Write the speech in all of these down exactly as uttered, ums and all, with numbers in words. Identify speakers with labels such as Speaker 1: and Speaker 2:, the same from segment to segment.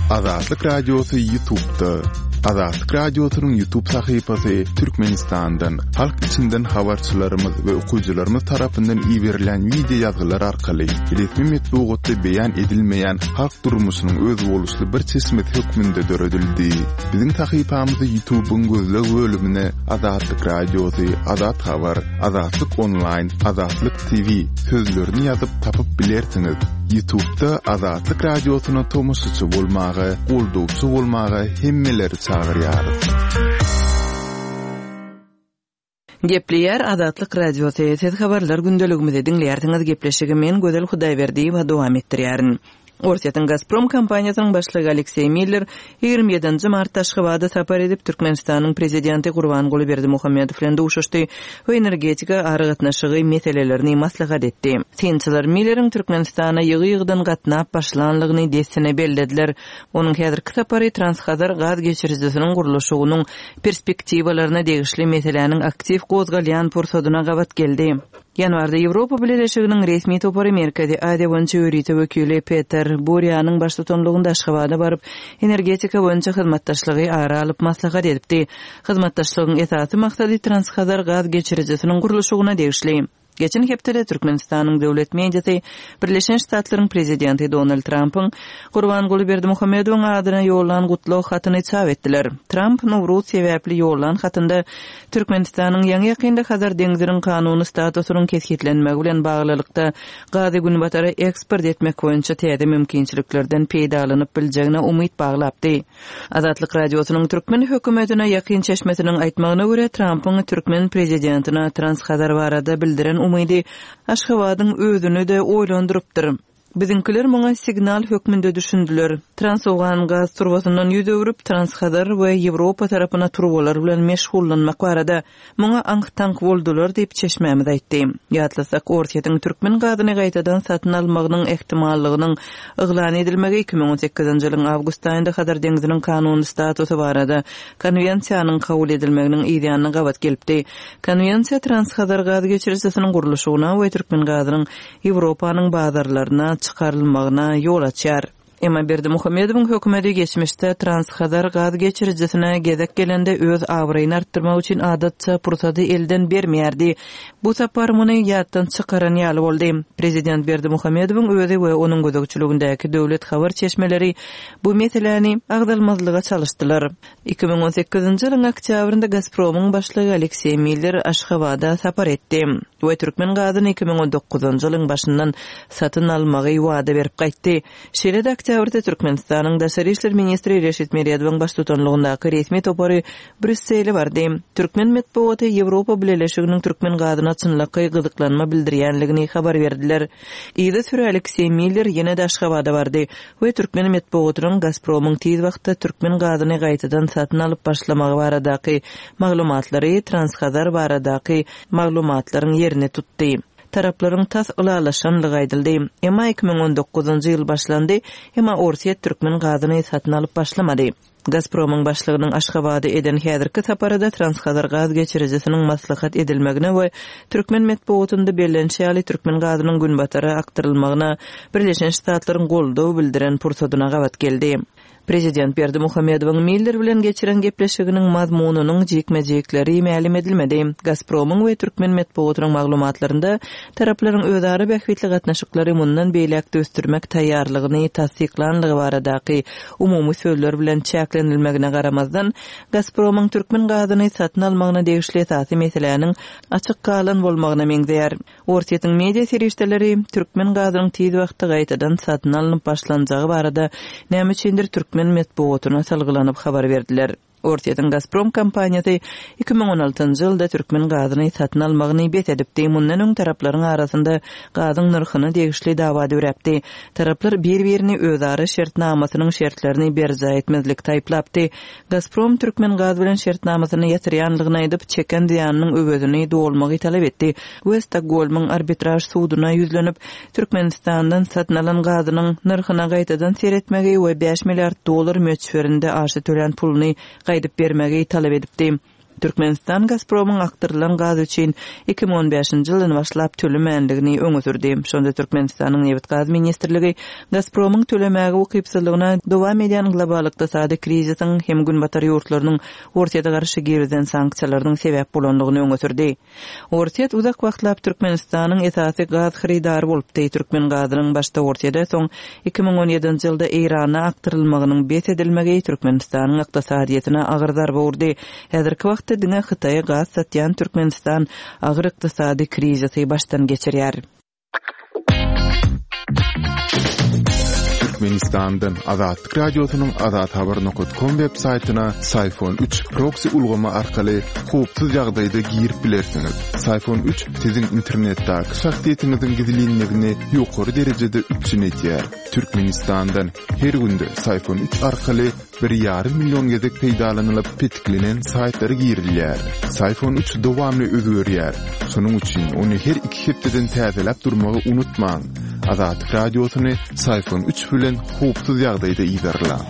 Speaker 1: Azatlyk Radiosy YouTube'da. Azatlyk Radiosynyň YouTube sahypasy Türkmenistandan, halk içinden habarçylarymyz we okyjylarymyz tarapyndan iberilen wideo ýazgylar arkaly resmi metbugatda beýan edilmeýän halk durmuşynyň özboluşly bir çeşmesi hökmünde döredildi. Biziň sahypamyzy YouTube'yň gözleg bölümine Azatlyk Radiosy, Azat Habar, Azatlyk Online, Azatlyk T V sözlerini ýazyp tapyp bilersiňiz. YouTube'da Azatlyk Radiosyna tomaşaçy bolmaga, goldawçy bolmaga hemmeleri çagyrýarys.
Speaker 2: Gepleýär Azatlyk Radiosy. Siz habarlar gündeligimizi diňleýärsiňiz. Gepleşigi men Gözel Hudaýberdiýewa dowam etdirýärin. Orsýetiň Gazprom kompaniýasynyň başlygy Alekseý Miller ýigrimi ýedinji martda Aşgabada sapar edip Türkmenistanyň prezidenti Gurbanguly Berdimuhamedow bilen duşuşdy we energetika aragatnaşygy meselelerini maslahat etdi. Synçylar Milleriň Türkmenistana ýygy-ýygydan gatnap başlanlygyny dessine bellediler. Onuň häzirki sapary Transhazar gaz geçirijisiniň gurluşygynyň perspektiwalaryna degişli meseläniň aktiw gozgalýan pursadyna gabat geldi. Ýanwarda Ýewropa Bileleşiginiň resmi topary Merkezi Aziýa boýunça ýörite wekili Peter Burýanyň baştutanlygynda Aşgabada baryp, energetika boýunça hyzmatdaşlygy ara alyp maslahat edipdi. Hyzmatdaşlygyň esasy maksady Transhazar gaz geçirijisiniň gurluşygyna degişli. Geçen hepdede Türkmenistanyň döwlet mediasy Birleşen Ştatlaryň prezidenti Donald Trumpyň Gurbanguly Berdimuhamedowyň adyna ýollan gutlag hatyny çap etdiler. Trump Nowruz sebäpli ýollan hatynda Türkmenistanyň ýaňy ýakynda Hazar deňziniň kanuny statusynyň kesgitlenmegi bilen baglylykda gazy günbatara eksport etmek boýunça täze mümkinçiliklerden peýdalanyp biljegine umyt baglapdy. Azatlyk Radiosynyň türkmen hökümetine ýakyn çeşmesiniň aýtmagyna görä Trumpyň türkmen prezidentine Transhazar barada bildiren umydy Aşgabadyň özüni de oýlandyrypdyr. Biziňkiler muňa signal hökmünde düşündiler. Transowgan gaz turbasyndan ýüz öwrüp Transhazar we Ýewropa tarapyna turbalar bilen meşgullanmak barada muňa aňk-taňk boldular diýip çeşmämiz aýtdy. Ýatlasak, Orsýetiň türkmen gazyny gaýtadan satyn almagynyň ehtimallygynyň yglan edilmegi iki müň on sekizinji ýylyň awgust aýynda Hazar deňziniň kanuny statusy barada konwensiýanyň kabul edilmeginiň ýanyna gabat gelipdi. Konwensiýa Transhazar gaz geçirijisiniň gurluşygyna we türkmen gazynyň Ýewropanyň bazarlaryna çykarylmagyna ýol açýar. Emma Berdimuhamedowyň hökümeti geçmişde Transhazar gaz geçirijisine gezek gelende öz abraýyny artdyrmak üçin adatça pursady elden bermeýärdi. Bu sapar muny ýatdan çykaran ýaly boldy. Prezident Berdimuhamedowyň özi we onuň gözegçiligindäki döwlet habar çeşmeleri bu meseläni agzalmazlyga çalyşdylar. Iki müň on sekizinji ýylyň oktýabrynda Gazpromyň başlygy Alekseý Miller Aşgabada sapar etdi we türkmen gazyny iki müň on dokuzynjy ýylyň başyndan satyn almagy wada berip gaýtdy. Şeýle-de oktýabrda Türkmenistanyň Daşary işler ministri Reşit Meredowyň baştutanlygyndaky resmi topary Brýussele bardy. Türkmen metbugaty Ýewropa Bileleşiginiň türkmen gazyna çynlakaý gyzyklanma bildirýänligini habar berdiler. Yza süre Alekseý Miller ýene-de Aşgabada bardy we türkmen metbugatynyň Gazpromyň tiz wagtda türkmen gazyny gaýtadan satyn alyp başlamagy baradaky maglumatlary Transhazar baradaky maglumatlaryň ýerini tutdy. Taraplaryň tas ylalaşanlygy aýdyldy. Emma iki müň on dokuzynjy ýyl başlandy, emma Orsýet türkmen gazyny satyn alyp başlamady. Gazpromyň başlygynyň Aşgabada eden häzirki saparada Transhazar gaz geçirijisiniň maslahat edilmegine we türkmen metbugatynda bellenişi ýaly türkmen gazynyň günbatara akdyrylmagyna Birleşen Ştatlaryň goldaw bildiren pursadyna gabat geldi. Prezident Berdimuhamedowyň Miller bilen geçiren gepleşiginiň mazmunynyň jikme-jikleri mälim edilmedi. Gazpromyň we türkmen metbugatynyň maglumatlarynda taraplaryň özara bähbitli gatnaşyklary mundan beýläk ösdürmek taýýarlygyny tassyklanlygy baradaky umumy sözler bilen çäklenilmegine garamazdan, Gazpromyň türkmen gazyny satyn almagyna degişli esasy meseläniň açyk galan bolmagyna meňzeýär. Orsýetiň media serişdeleri türkmen gazynyň tiz wagtda gaýtadan satyn alnyp başlanjagy barada näme üçindir türkmen metbugatyna salgylanyp habar berdiler. Orsýetiň Gazprom kompaniýasy iki müň on altynjy ýylda türkmen gazyny satyn almagyny bes edipdi. Mundan öň taraplaryň arasynda gazyň nyrhyna degişli dawa döräpdi. Taraplar bir-birini özara şertnamasynyň şertlerini berjaý etmezlik taýplapdy. Gazprom türkmen gaz bilen şertnamasyny ýatyrýanlygyny aýdyp, çeken zyýanynyň öwezini dolmagy talap etdi we Stokgolmyň arbitraž suduna ýüzlenip, Türkmenistandan satyn alan gazynyň nyrhyna gaýtadan seretmegi we bäş milliard dollar möçberinde aşa tölän puluny gaýdyp bermegi talap edipdi. Türkmenistan Gazpromyň akdyrylan gaz üçin iki müň on bäşinji ýyldan başlap tölemändigini öňe sürdi. Şonda Türkmenistanyň Nebit-gaz ministrligi Gazpromyň tölemäge ukypsyzlygyna dowam edýän global ykdysady krizisiň hem günbatar ýurtlarynyň Orsýete garşy girizen sanksiýalarynyň sebäp bolandygyny öňe sürdi. Orsýet uzak wagtlap Türkmenistanyň esasy gaz hyrydary bolupdy. Türkmen gazynyň başda Orsýete, soň iki müň on ýedinji ýylda Eýrana akdyrylmagynyň bes edilmegi Türkmenistanyň ykdysadyýetine agyr zarba urdy. Häzirki wagtda diňe Hytaýa gaz satýan Türkmenistan agyr ykdysady krizisi başdan geçirýär.
Speaker 1: Türkmenistandan Azatlyk Radiosynyň Azat Habar nokta com web saýtyna Syfon üç proxy ulgamy arkaly howpsuz ýagdaýda girip bilersiňiz. Syfon üç siziň internetdäki şahsyýetiňiziň gizlinligini ýokary derejede üpjün edýär. Türkmenistandan her günde Syfon üç arkaly bir ýarym million gezek peýdalanylyp petiklenen saýtlara girilýär. Syfon üç dowamly özgerýär. Şonuň üçin ony her iki hepdeden täzeläp durmagy unutmaň. Azatlyk Radiosyny Syfon üç bilen howpsuz ýagdaýda ýerleň.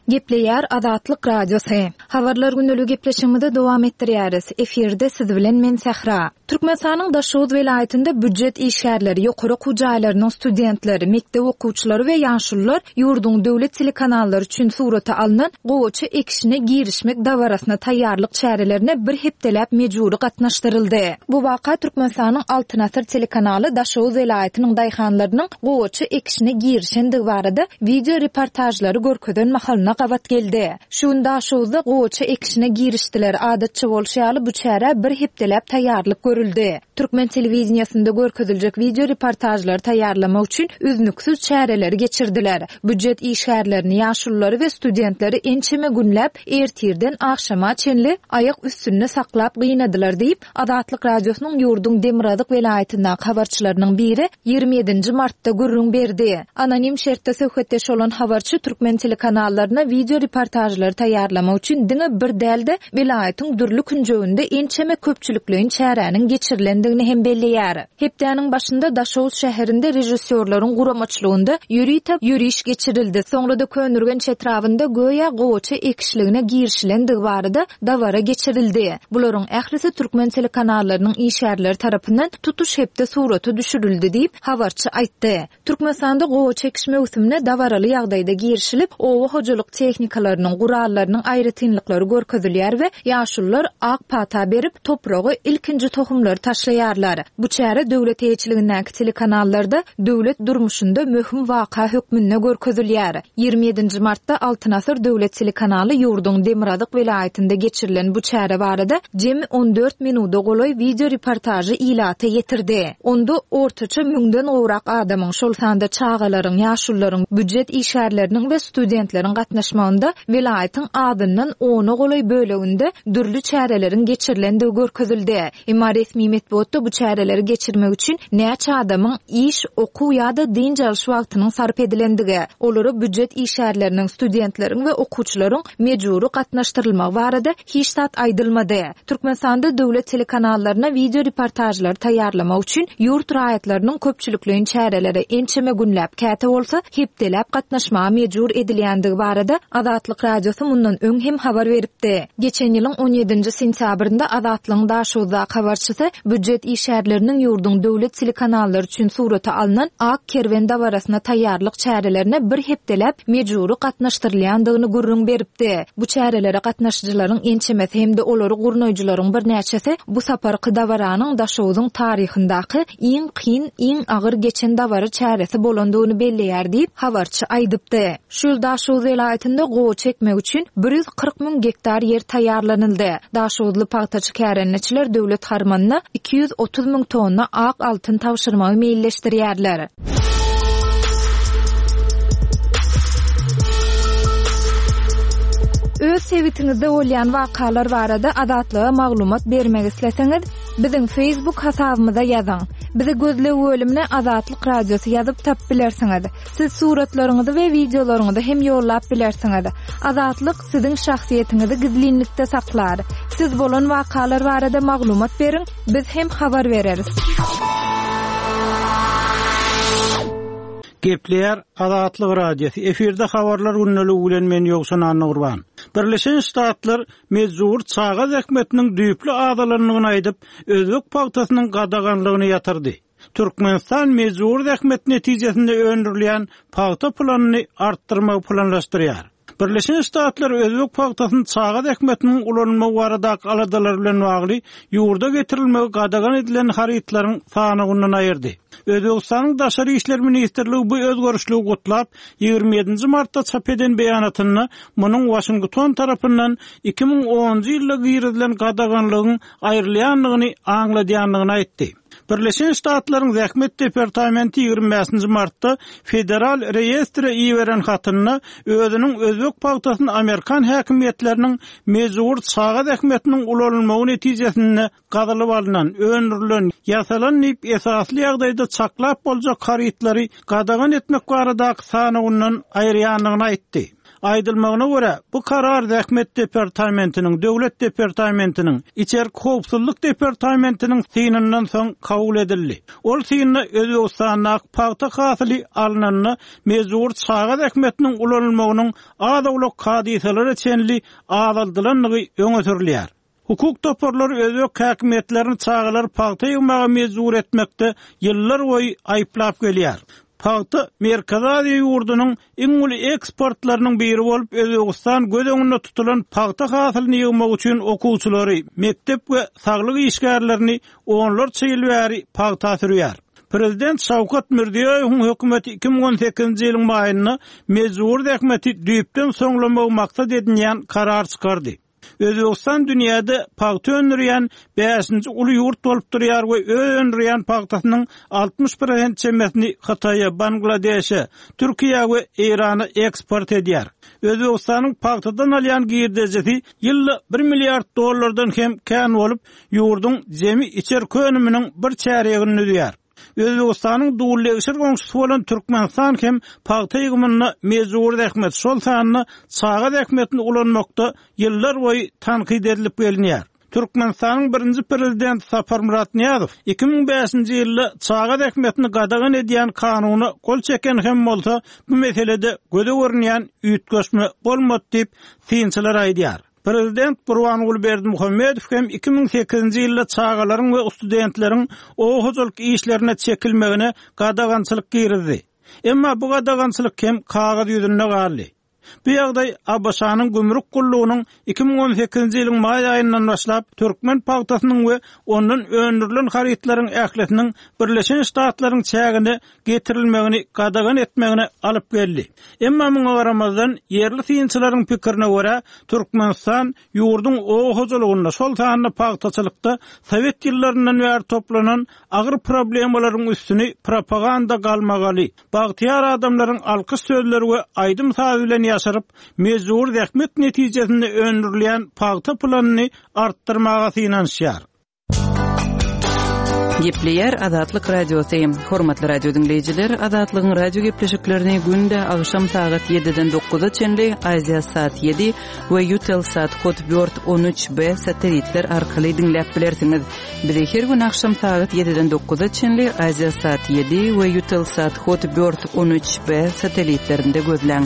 Speaker 3: Gepleýär Azatlyk Radiosy. Habarlar günlügi gepleşigimizi dowam etdirýäris. Efirde siz bilen men Sähra. Türkmenistanyň Daşoguz welaýatynda býujet işgärleri, ýokary okuw jaýlarynyň studentleri, mekdep okuwçylary we ýaşulular ýurduň döwlet telekanallary üçin surata alnan gowaça ekişine girişmek dabarasyna taýýarlyk çärelerine bir hepdeläp mejbury gatnaşdyryldy. Bu waka Türkmenistanyň Altyn Asyr telekanaly Daşoguz welaýatynyň daýhanlarynyň gowaça ekişine girişendigi barada video reportajlary görkezen mahalyna gabat geldi. Şu gün Daşoguzda gowaça ekişine girişdiler. Adatça bolşy ýaly bu çärä bir hepdeläp taýýarlyk görüldi. Türkmen telewideniýasynda görkeziljek video reportajlary taýýarlamak üçin üznüksiz çäreleri geçirdiler. Býujet işgärlerini, ýaşululary we studentleri ençeme günläp ertirden agşama çenli aýak üstünde saklap gynadylar diýip, Azatlyk Radiosynyň ýurduň Demirgazyk welaýatyndaky habarçylarynyň biri ýigrimi ýedinji martda gürrüň berdi. Anonim şertde söhbetdeş bolan habarçy türkmen telekanallaryna video reportajlary taýýarlamak üçin diňe bir däl-de welaýatyň dürli künjeginde ençeme köpçülikleýin çäräniň geçirilendigini hem belleýär. Hepdäniň başynda Daşoguz şäherinde režissýorlaryň guramaçylygynda ýörite ýöriş geçirildi. Soňra da Köneürgenç etrabynda göýä gowaça ekişligine girişilendigi barada dabara geçirildi. Bularyň ählisi türkmen telekanallarynyň işgärleri tarapyndan tutuş hepde surata düşürildi diýip habarçy aýtdy. Türkmenistanda gowaça ekiş möwsümine dabaraly ýagdaýda girişilip, oba hojalyk tehnikalarynyň, gurallarynyň aýratynlyklary görkezilýär we ýaşulular ak pata berip, topragy ilkinji tohumlary taşlaýarlar. Bu çäre döwlet eýeçiligindäki telekanallarda döwlet durmuşynda möhüm waka hökmünde görkezilýär. Ýigrimi ýedinji martda Altyn Asyr döwlet telekanaly ýurduň Demirgazyk welaýatynda geçirilen bu çäre barada jemi on dört minuda golaý video reportajy ilata ýetirdi. Onda ortaça müňden gowrak adamyň, şol sanda çagalaryň, ýaşulularyň, býujet işgärleriniň we studentleriň gatnaşmagynda welaýatyň adyndan ona golaý böleginde dürli çäreleriň geçirilendigi görkezildi. Emma resmi metbugatda bu çäreleri geçirmek üçin näçe adamyň iş, okuw ýa-da dynç alyş wagtynyň sarp edilendigi, olara býujet işgärleriniň, studentleriň we okuwçylaryň mejbury gatnaşdyrylmagy barada hiç zat aýdylmady. Türkmenistanda döwlet telekanallaryna video reportajlary taýýarlamak üçin ýurt raýatlarynyň köpçülikleýin çäreleri ençeme günläp, käte bolsa hepdeläp gatnaşmaga mejbur edilýändigi barada Azatlyk Radiosy mundan öň hem habar beripdi. Geçen ýylyň on ýedinji sentýabrynda Azatlygyň Daşoguzdaky habarçysy býujet işgärleriniň ýurduň döwlet telekanallary üçin surata alnan Ak kerwen dabarasyna taýýarlyk çärelerine bir hepdeläp mejbury gatnaşdyrylýandygyny gürrüň beripdi. Bu çärelere gatnaşyjylaryň ençemesi hem-de olary gurnaýjylaryň birnäçesi bu saparky dabaranyň Daşoguzyň taryhyndaky iň kyn, iň agyr geçen dabara çäresi bolandygyny belleýär diýip habarçy aýdypdy. Şu ýyl Daşoguz welaýatynda gowaça ekmek üçin bir ýüz kyrk müň gektar ýer taýýarlanyldy. Daşoguzly pagtaçy kärendeçiler döwlet harmanyna iki ýüz otuz müň tonna ak altyn tabşyrmagy meýilleşdirýärler. Öz sebitiňizde bolýan wakalar barada Azatlyga maglumat bermek isleseňiz, biziň Facebook hasabymyza ýazyň. Bizi gözleg bölümine Azatlyk Radiosy ýazyp tap bilersiňiz. Siz suratlaryňyzy we videolaryňyzy hem ýollap bilersiňiz. Azatlyk siziň şahsyýetiňizi gizlinlikde saklar. Siz bolan wakalar barada maglumat beriň, biz hem habar bereris.
Speaker 4: Gepleýär Azatlyk Radiosy. Efirde habarlar gündeligi bilen men Ýowşan Annagurban. Birleşen Ştatlar mejbur çaga zähmetiniň düýpli azalandygyny aýdyp, özbek pagtasynyň gadaganlygyny ýatyrdy. Türkmenistan mejbur zähmet netijesinde öndürilýän pagta planyny artdyrmagy planlaşdyrýar. Birleşen Ştatlar özbek pagtasyny çaga zähmetiniň ulanylmagy baradaky aladalar bilen bagly ýurda getirilmegi gadagan edilen harytlaryň sanawyndan aýyrdy. Özbegistanyň Daşary işler ministrligi bu özgerişligi gutlap, ýigrimi ýedinji martda çap eden beýanatynda munuň Waşington tarapyndan iki müň onunjy ýylda girizilen gadaganlygyň aýrylýandygyny aňladýandygyny aýtdy. Birleşen Ştatlaryň Zähmet departamenti ýigrimi bäşinji martda Federal reýestre iberen hatynda özüniň özbek pagtasyny amerikan häkimiýetleriniň mejbur çaga zähmetiniň ulanylmagy netijesinde gazylyp alnan, öndürilen, ýasalan diýip esasly ýagdaýda çaklap boljak harytlary gadagan etmek baradaky sanawyndan aýyrýandygyny aýtdy. Aýdylmagyna görä, bu karar Zähmet departamentiniň, Döwlet departamentiniň, Içerki howpsuzlyk departamentiniň synyndan soň kabul edildi. Ol synda Özbegistandaky pagta hasyly alnanda mejbur çaga zähmetiniň ulanylmagynyň az-owlak hadysalara çenli azaldylandygy öňe sürülýär. Hukuk toparlary özbek häkimiýetlerini çagalary pagta ýygmaga mejbur etmekde ýyllar boýy aýyplap gelýär. Pagta Merkezi Aziýa ýurdunyň iň uly eksportlarynyň biri bolup, Özbegistan göz öňünde tutulan pagta hasylyny ýygmak üçin okuwçylary, mekdep we saglyk işgärlerini onlarça ýyl bäri pagta sürýär. Prezident Şawkat Mirziýoýewiň hökümeti iki müň on sekizinji ýylyň maýynda mejbur zähmeti düýpden soňlamagy maksat edinýän karar çykardy. Özbegistan dünýäde pagta öndürýän bäşinji uly ýurt bolup durýar we öz öndürýän pagtasynyň altmyş prosent çemesini Hytaýa, Bangladeşe, Türkiýä we Eýrana eksport edýär. Özbegistanyň pagtadan alýan girdejisi ýylda bir milliard dollardan hem kän bolup, ýurduň jemi içerki önüminiň bir çärýegini düzýär. Özbegistanyň dullegşir goňşusy bolan Türkmenistan hem pagta ýygymynda mejbur zähmet, şol sanda çaga zähmetini ulanmakda ýyllar boýy tankyt edilip gelinýär. Türkmenistanyň birinji prezidenti Saparmyrat Nyýazow iki müň bäşinji ýylda çaga zähmetini gadagan edýän kanuna gol çeken hem bolsa, bu meselede göze görünýän üýtgeşme bolmady diýip synçylar aýdýar. Prezident Gurbanguly Berdimuhamedow hem iki müň sekizinji ýylda çagalaryň we studentleriň oba hojalyk işlerine çekilmegine gadagançylyk girizdi. Emma bu gadagançylyk hem kagyz ýüzünde galdy. Bu ýagdaý A B Ş-nyň gümrük gullugynyň iki müň on sekizinji ýylyň maý aýyndan başlap türkmen pagtasynyň we ondan öndürilen harytlaryň ählisiniň Birleşen Ştatlaryň çägine getirilmegini gadagan etmegine alyp geldi. Emma muňa garamazdan ýerli synçylaryň pikirine görä Türkmenistan ýurduň oba hojalygynda, şol sanda pagtaçylykda Sowet ýyllaryndan bäri toplanan agyr problemalaryň üstüni propaganda galmagaly, bagtyýar adamlaryň alkyş sözleri we aýdym saz bilen ýaşaryp, mejbur zähmet netijesinde öndürilýän pagta planyny artdyrmaga synanyşýar.
Speaker 2: Gepleýär Azatlyk Radiosy. Hormatly radio dinleýjiler, Azatlygyň radio gepleşiklerini günde agşam sagat ýediden dokuza çenli Aziýa saat ýedi we Eutelsat Hotbird on üç B satelitler arkaly diňläp bilersiňiz. Bizi her gün agşam sagat ýediden dokuza çenli Aziýa saat ýedi we Eutelsat Hotbird on üç B satelitlerinde gözläň.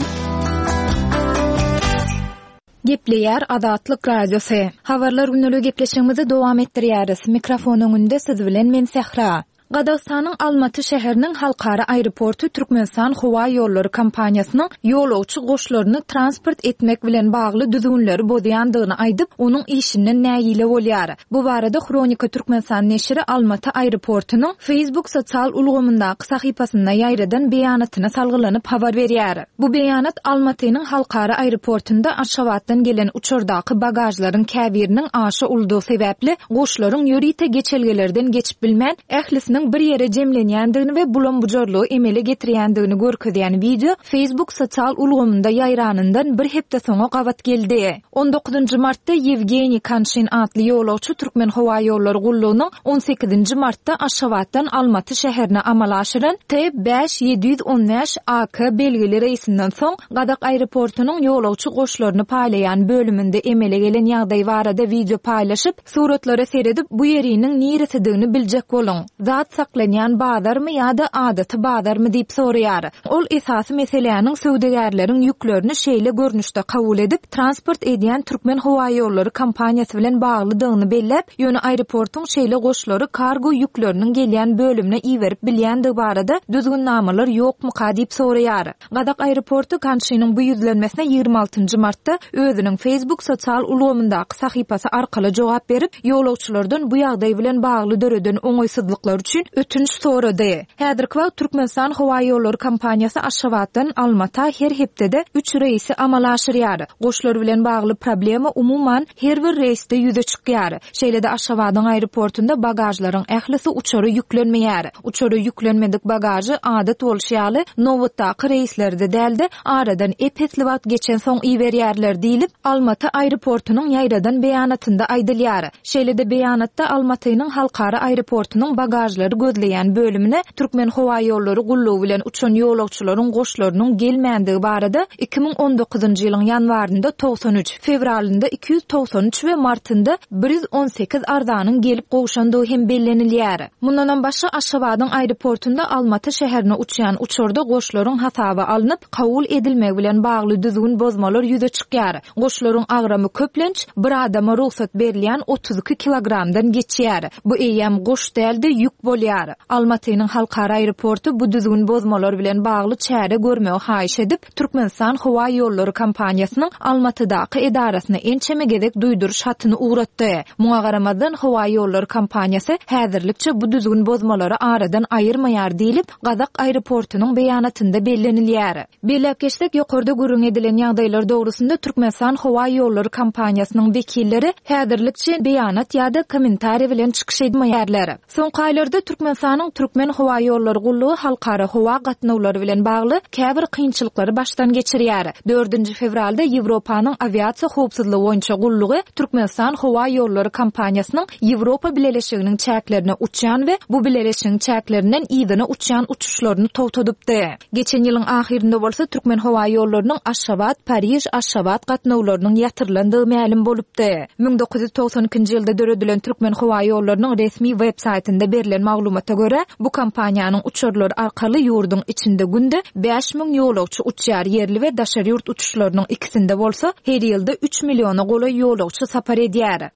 Speaker 3: Gepleýär Azatlyk Radiosy. Habarlar günlügi gepleşigimizi dowam etdirýäris. Mikrofon öňünde siz bilen men Sähra. Gazagystanyň Almaty şäheriniň halkara aeroporty Türkmenistan howa ýollary kompaniýasynyň ýolagçy goşlaryny transport etmek bilen bagly düzgünleri bozýandygyny aýdyp, onuň işinden nägile bolýar. Bu barada Hronika Türkmenistan neşiri Almaty aeroportunyň Facebook sosial ulgamyndaky sahypasynda ýaýradan beýanatyna salgylanyp habar berýär. Bu beýanat Almatynyň halkara aeroportunda Aşgabatdan gelen uçardaky bagajlaryň käbiriniň aşa uldugy sebäpli goşlaryň ýörite geçelgelerden geçip bilmän, ählisiniň bir ýere jemlenýändigini we bulam-bujarlygy emele getirýändigini görkezýän wideo Facebook sosial ulgamynda ýaýranyndan bir hepde soňa gabat geldi. On dokuzynjy martda Ýewgeniý Kanşin atly ýolagçy Türkmen howa ýollary gullugynyň on sekizinji martda Aşgabatdan Almaty şäherine amala aşyran T bäş ýedi ýüz on bäş A K belgili reýsinden soň Gazak aeroportunyň ýolagçy goşlaryny paýlaýan bölüminde emele gelen ýagdaý barada wideo paýlaşyp, suratlara seredip bu ýeriniň niresidigini biljek boluň. Zat Gymmat saklanýan bazarmy ýa-da adaty bazarmy diýip soraýar. Ol esasy meseläniň söwdagärleriň ýüklerini şeýle görnüşde kabul edip, transport edýän Türkmen howaýollary kompaniýasy bilen baglydygyny belläp, ýöne aeroportuň şeýle goşlary kargo ýükleriniň gelýän bölümine iberip bilýändigi barada düzgünnamalar ýokmuka diýip soraýar. Gazak aeroporty Kanşynyň bu ýüzlenmesine ýigrimi altynjy martda özüniň Facebook sosial ulgamyndaky sahypasy arkaly jogap berip, ýolagçylardan bu ýagdaý bilen bagly döreden oňaýsyzlyklar üçin ötünç sorady. Häzirki wagt Türkmenistan howaýollary kompaniýasy Aşgabatdan Almata her hepdede üç reýsi amala aşyrýar. Goşlar bilen bagly problema umuman her bir reýsde ýüze çykýar. Şeýle-de Aşgabadyň aeroportunda bagažlaryň ählisi uçara ýüklenmeýär. Uçara ýüklenmedik bagažy adat bolşy ýaly nobatdaky reýslerde dälde aradan ep-esli wagt geçen soň iberýärler diýlip, Almaty aeroportunyň ýaýradan beýanatynda aýdylýar. Şeýle-de beýanatda Almatynyň halkara aeroportunyň bagažlary gözleýän bölümine Türkmen howaýollary gullugy bilen uçan ýolagçylaryň goşlarynyň gelmändigi barada iki müň on dokuzynjy ýylyň ýanwarynda togsan üç, fewralynda iki ýüz togsan üç we martynda bir ýüz on sekiz arzanyň gelip gowşandygy hem bellenilýär. Mundanam başga Aşgabadyň aeroportunda Almaty şäherine uçýan uçarda goşlaryň hasaba alnyp, kabul edilmegi bilen bagly düzgün bozmalar ýüze çykýar. Goşlaryň agramy köplenç bir adama rugsat berilýän otuz iki kilogramdan geçýär. Bu eýýäm goş dälde ýük bolýar. Almatynyň halkara aeroporty bu düzgün bozmalar bilen bagly çäre görmegi haýyş edip, Türkmenistan howa ýollary kompaniýasynyň Almatydaky edarasyna ençeme gezek duýduryş hatyny ugratdy. Muňa garamazdan howa ýollary kompaniýasy häzirlikçe bu düzgün bozmalary aradan aýyrmaýar diýlip, Gazak aeroportunyň beýanatynda bellenilýär. Belläp geçsek, ýokarda gürrüň edilen ýagdaýlar dogrusynda Türkmenistan howa ýollary kompaniýasynyň wekilleri häzirlikçe beýanat ýa-da kommentariý bilen çykyş etmeýärler. Soňky aýlarda Türkmenistanyň Türkmen howa ýollary gullugy halkara howa gatnawlary bilen bagly käbir kynçylyklary başdan geçirýär. Dördünji fewralda Ýewropanyň awiasiýa howpsuzlygy boýunça gullugy Türkmenistan howa ýollary kompaniýasynyň Ýewropa Bileleşiginiň çäklerine uçýan we bu bileleşigiň çäklerinden yzyna uçýan uçuşlaryny togtadypdy. Geçen ýylyň ahyrynda bolsa Türkmen howa ýollarynyň Aşgabat, Pariž, Aşgabat gatnawlarynyň ýatyrylandygy mälim bolupdy. Müň dokuz ýüz togsan ikinji ýylda döredilen Türkmen howa ýollarynyň resmi web saýtynda berlen maglumata görä, bu kompaniýanyň uçarlary arkaly ýurduň içinde günde bäş müň ýolagçy uçýar, ýerli we daşary ýurt uçuşlarynyň ikisinde bolsa her ýylda üç milliona golaý ýolagçy sapar edýär.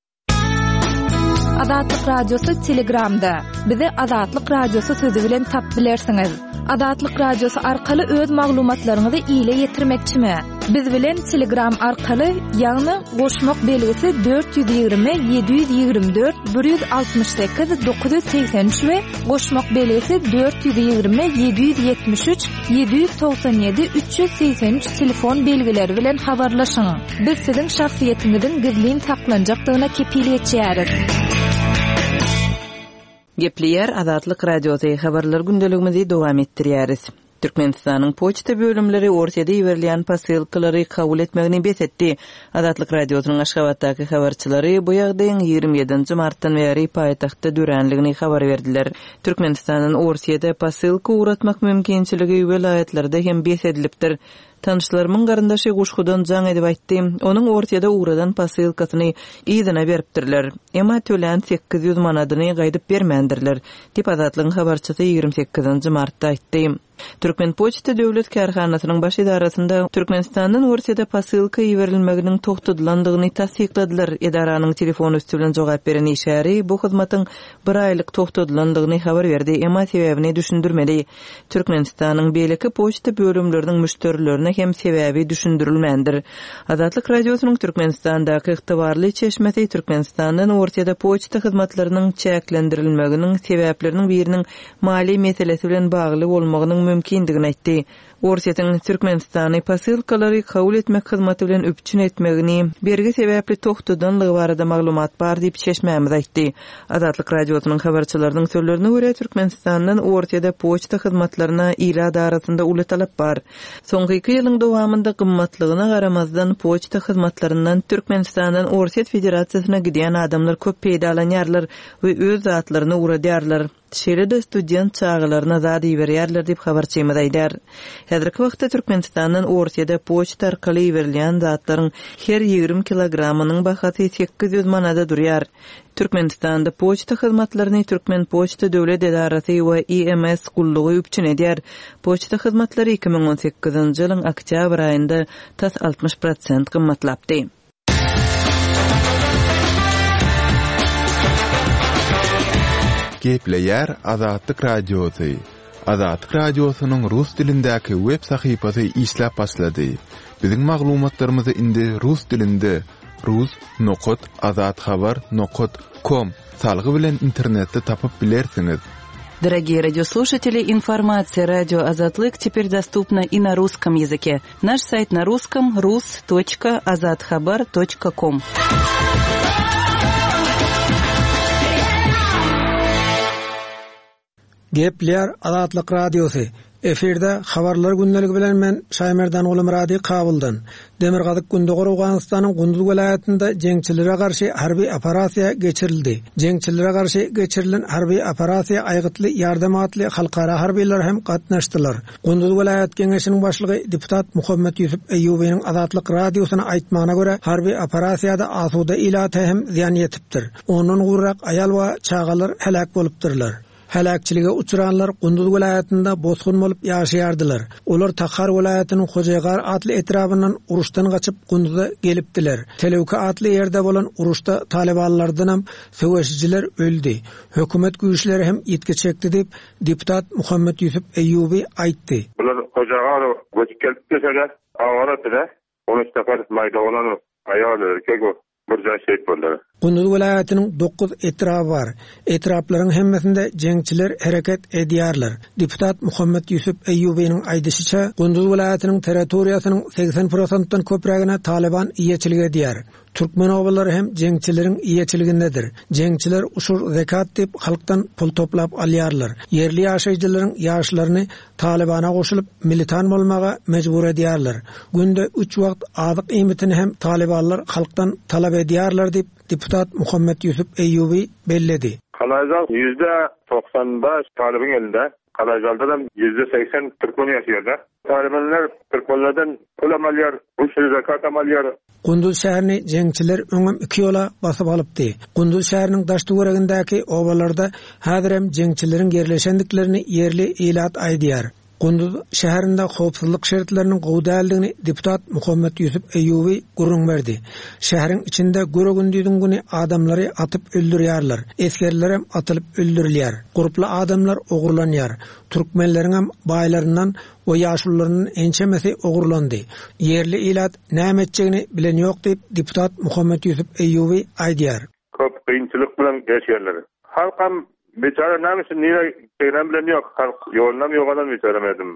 Speaker 3: Azatlyk Radiosy Telegramda. Bizi Azatlyk Radiosy sözi bilen tap bilersiňiz. Azatlyk Radiosy arkaly öz maglumatlaryňyzy ile ýetirmekçimi? Biz bilen Telegram arkaly, ýagny goşmak belgisi dört ýüz ýigrimi ýedi ýüz ýigrimi dört bir ýüz altmyş sekiz dokuz ýüz segsen üç we goşmak belgisi dört ýüz ýigrimi ýedi ýüz ýetmiş üç ýedi ýüz togsan ýedi üç ýüz segsen üç telefon belgileri bilen habarlaşyň. Biz siziň şahsyýetiňiziň gizlin saklanjakdygyna kepil geçýäris.
Speaker 2: Gepleýär Azatlyk Radiosy habarlar gündeligimizi dowam etdirýäris. Türkmenistanyň poçta bölümleri Orsýede iberilýän posylkalary kabul etmegini bes etdi. Azatlyk Radiosynyň Aşgabatdaky habarçylary bu ýagdaýyň ýigrimi ýedinji martdan bäri paýtagtda döränligini habar berdiler. Türkmenistandan Orsýede posylka ugratmak mümkinçiligi welaýatlarda hem bes edilipdir. Tanışlarymyň garyndaşy Guşgudan jaň edip aýtdy. Onuň Orsýede ugradan posylkasyny yzyna beripdirler. Emma tölän sekiz ýüz manadyny gaýdyp bermändirler. Diýip Azatlygyň habarçysy ýigrimi sekizinji martda aýtdy. Türkmen Poçta Döwlet Kärhanasynyň baş idarasynda Türkmenistandan Orsýede posylka iberilmeginiň togtadylandygyny tassykladylar. Edaranyň telefon üstü bilen jogap beren işgäri bu hyzmatyň bir aýlyk togtadylandygyny habar berdi, emma sebäbini düşündirmedi. Türkmenistanyň beýleki poçta bölümleriniň müşderilerine hem sebäbi düşündirilmändir. Azatlyk Radiosynyň Türkmenistandaky ygtybarly çeşmesi Türkmenistandan Orsýede poçta hyzmatlarynyň çäklendirilmeginiň sebäpleriniň biriniň maliýe meselesi bilen bagly bolmagynyň mümkindigini aýtdy. Orsýetiň Türkmenistany posylkalary kabul etmek hyzmaty bilen üpjün etmegini bergi sebäpli togtadanlygy barada maglumat bar diýip çeşmämiz aýtdy. Azatlyk Radiosynyň habarçylarynyň sözlerine görä Türkmenistandan Orsýede poçta hyzmatlaryna ilat arasynda uly talap bar. Soňky iki ýylyň dowamynda gymmatlygyna garamazdan poçta hyzmatlaryndan Türkmenistandan Orsýet Federasiýasyna gidýän adamlar köp peýdalanýarlar we öz zatlaryny ugradýarlar. Şeýle-de student çagalaryna zat iberýärler diýip habarçymyz aýdar. Häzirki wagtda Türkmenistandan Orsýete poçta arkaly iberilýän zatlaryň her ýigrimi kilogramynyň bahasy sekiz ýüz manada durýar. Türkmenistanda poçta hyzmatlaryny Türkmenpoçta döwlet edarasy we I M S gullugy üpjün edýär. Poçta hyzmatlary iki müň on sekizinji ýylyň oktýabr aýynda tas altmyş prosent gymmatlapdy.
Speaker 1: Gepleýär Azatlyk Radiosy. Azatlyk Radiosynyň rus dilindäki web sahypasy işläp başlady. Biziň maglumatlarymyzy indi rus dilinde rus nokat azathabar nokat com salgy bilen internetde tapyp bilersiňiz.
Speaker 2: Дорогие радиослушатели, информация радио Азатлык теперь доступна и на русском языке. Наш сайт на русском рус точка азатхабар точка ком.
Speaker 5: Gepler Azatlyk Radiosy. Efirde habarlar gündeligi bilen men Şaýmerdan Gulumyrady Kabuldan. Demirgazyk Gündogar Owganystanyň Gunduz welaýatynda jeňçilere garşy harby operasiýa geçirildi. Jeňçilere garşy geçirilen harby operasiýa aýgytly ýardam atly halkara harbylar hem gatnaşdylar. Gunduz welaýat geňeşiniň başlygy deputat Muhammet Ýusuf Eýýubynyň Azatlyk Radiosyna aýtmagyna görä harby operasiýada asuda ilata hem zyýan ýetipdir. Ondan gurrak aýal we çagalar heläk bolupdyrlar. Heläkçilige uçranlar Gunduz welaýatynda bosgun bolup ýaşaýardylar. Olar Takhar welaýatynyň Hojaýgar atly etrabyndan uruşdan gaçyp Gunduza gelipdiler. Telewki atly ýerde bolan uruşda talibanlardan hem söweşijiler öldi. Hökümet güýçleri hem ýitgi çekdi diýip deputat Muhammet Ýusuf Eýýuby aýtdy.
Speaker 6: Bular Hojaýgar göçüp gelip geçerler, awara on üç defa maýda bolan aýal erkek bir jaý şehit boldular.
Speaker 5: Gunduz welaýatynyň dokuz etraby bar. Etraplaryň hemmesinde jeňçiler hereket edýärler. Deputat Muhammet Ýusuf Eýýubynyň aýdyşyça, Gunduz welaýatynyň territoriýasynyň seksen prosentden köprägine Taliban eýeçilik edýär. Türkmen obalary hem jeňçileriň eýeçiligindedir. Jeňçiler uşur zekat diýip halkdan pul toplap alýarlar. Ýerli ýaşaýjylaryň ýaşlaryny Talibana goşulyp militan bolmaga mejbur edýärler. Günde üç wagt azyk iýmitini hem Talibanlar halkdan talap edýärler diýip deputat Muhammet Ýusuf Eýýuby belledi.
Speaker 6: Kalaýzal ýüzde togsan bäş Talibyň elinde. Kalaýzalda da ýüzde seksen türkmen ýaşaýar. Talibanlar türkmenlerden pul alýar, uşur zekat alýar.
Speaker 5: Gunduz şäherini jeňçiler öňem iki ýola basyp alypdy. Gunduz şäheriniň daş töweregindäki obalarda häzir hem jeňçileriň ýerleşendiklerini ýerli ilat aýdýar. Gunduz şäherinde howpsuzlyk şertleriniň gowy däldigini deputat Muhammet Ýusuf Eýýuby gürrüň berdi. Şäheriň içinde göre gündüziň güni adamlary atyp öldürýärler. Esgerler hem atylyp öldürilýär. Gurply adamlar ogurlanýar. Türkmenleriň hem baýlaryndan we ýaşulularyndan ençemesi ogurlandy. Ýerli ilat näme etjegini bilen ýok diýip deputat Muhammet Ýusuf Eýýuby aýdýar.
Speaker 6: Köp kynçylyk bilen geçýärler. Halkam biçäre näme üçin nire gelen bilen ýok. Halk ýolunam ýogadan biçäre medim.